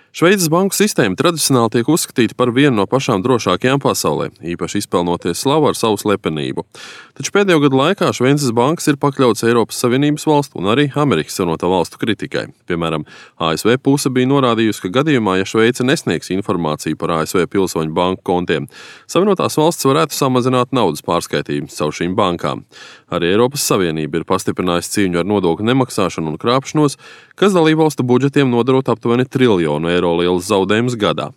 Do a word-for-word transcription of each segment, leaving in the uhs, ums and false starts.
Šveices banku sistēma tradicionāli tiek uzskatīta par vienu no pašām drošākajām pasaulē, īpaši izpelnoties slavu ar savu slepenību. Taču pēdējo gadu laikā Šveices bankas ir pakļautas Eiropas Savienības valstu un arī Amerikas Savienoto valstu kritikai. Piemēram, A S V puse bija norādījusi, ka gadījumā, ja Šveice nesniegs informāciju par A S V pilsoņu banku kontiem, Savienotās valstis varētu samazināt naudas pārskaitījumu caur šīm bankām. Arī Eiropas Savienība ir pastiprinājusi cīņu ar nodokļu nemaksāšanu un krāpšanos, kas dalībvalstu budžetiem nodarot aptuveni triljonu eiro lielus zaudējumus gadā.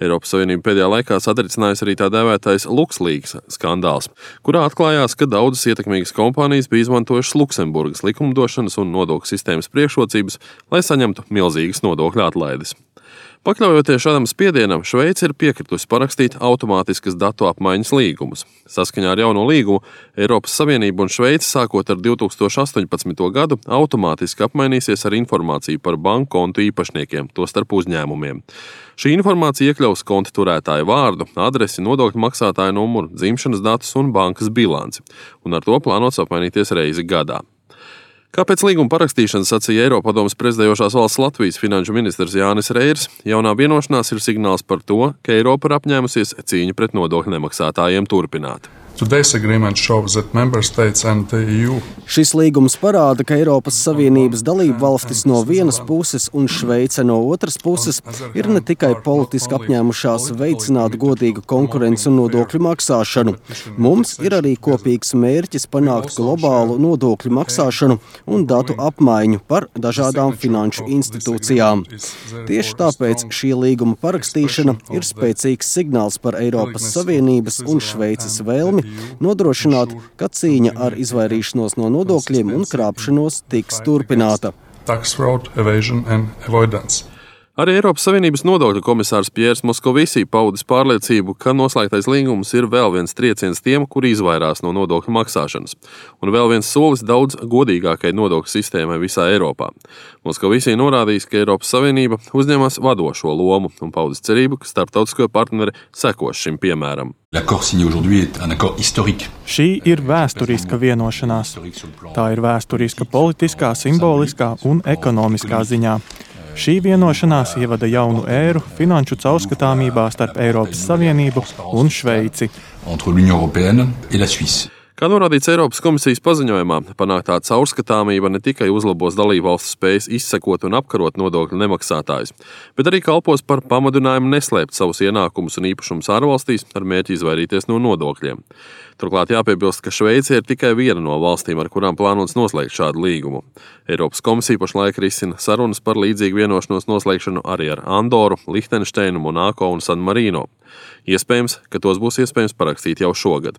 Eiropas Savienība pēdējā laikā satricinājusi arī tā dēvētais LuxLeaks skandāls, kurā atklājās, ka daudzas ietekmīgas kompānijas bija izmantojušas Luksemburgas likumdošanas un nodokļu sistēmas priekšrocības, lai saņemtu milzīgas nodokļu atlaides. Pakļaujoties šādam spiedienam, Šveice ir piekritusi parakstīt automātiskas datu apmaiņas līgumus. Saskaņā ar jauno līgumu Eiropas Savienība un Šveice sākot ar divi tūkstoši astoņpadsmito gadu automātiski apmainīsies ar informāciju par banku kontu īpašniekiem, tostarp uzņēmumiem. Šī informācija iekļaus konta turētāja vārdu, adresi, nodokļu maksātāja numuru, dzimšanas datus un bankas bilanci, un ar to plānots apmainīties reizi gadā. Kā pēc līguma parakstīšanas sacīja Eiropadomes prezidējošās valsts Latvijas finanšu ministrs Jānis Reirs, jaunā vienošanās ir signāls par to, ka Eiropa ir apņēmusies cīņu pret nodokļu nemaksātājiem turpināt. Šis līgums parāda, ka Eiropas Savienības dalību valstis no vienas puses un Šveice no otras puses ir ne tikai politiski apņēmušās veicināt godīgu konkurenci un nodokļu maksāšanu. Mums ir arī kopīgs mērķis panākt globālu nodokļu maksāšanu un datu apmaiņu par dažādām finanšu institūcijām. Tieši tāpēc šī līguma parakstīšana ir spēcīgs signāls par Eiropas Savienības un Šveices vēlmi nodrošināt, ka cīņa ar izvairīšanos no nodokļiem un krāpšanos tiks turpināta. Arī Eiropas Savienības nodokļu komisārs Piers Moskovisī paudis pārliecību, ka noslēgtais līgums ir vēl viens trieciens tiem, kuri izvairās no nodokļu maksāšanas, un vēl viens solis daudz godīgākai nodokļu sistēmai visā Eiropā. Moskovisī norādījis, ka Eiropas Savienība uzņemas vadošo lomu un paudis cerību, ka starptautisko partneri sekos šim piemēram. Šī ir vēsturiska vienošanās. Tā ir vēsturiska politiskā, simboliskā un ekonomiskā ziņā. Šī vienošanās ievada jaunu ēru finanšu caurskatāmībā starp Eiropas Savienību un Šveici. Kā norādīts Eiropas komisijas paziņojumā, panāktā caurskatāmība ne tikai uzlabos dalībvalstu spējas izsekot un apkarot nodokļu nemaksātājus, bet arī kalpos par pamudinājumu neslēpt savus ienākumus un īpašumus ārvalstīs ar mērķi izvairīties no nodokļiem. Turklāt jāpiebilst, ka Šveice ir tikai viena no valstīm, ar kurām plānots noslēgt šādu līgumu. Eiropas komisija pašlaik risina sarunas par līdzīgu vienošanos noslēgšanu arī ar Andoru, Lihtenšteinu, Monako un San Marino. Iespējams, ka tos būs iespējams parakstīt jau šogad.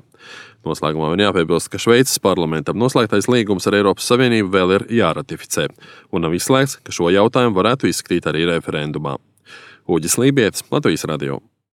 Noslēgumā vien jāpiebilst, ka Šveices parlamentam noslēgtais līgums ar Eiropas Savienību vēl ir jāratificē, un nav izslēgts, ka šo jautājumu varētu izskatīt arī referendumā. Uģis Lībietis, Latvijas radio.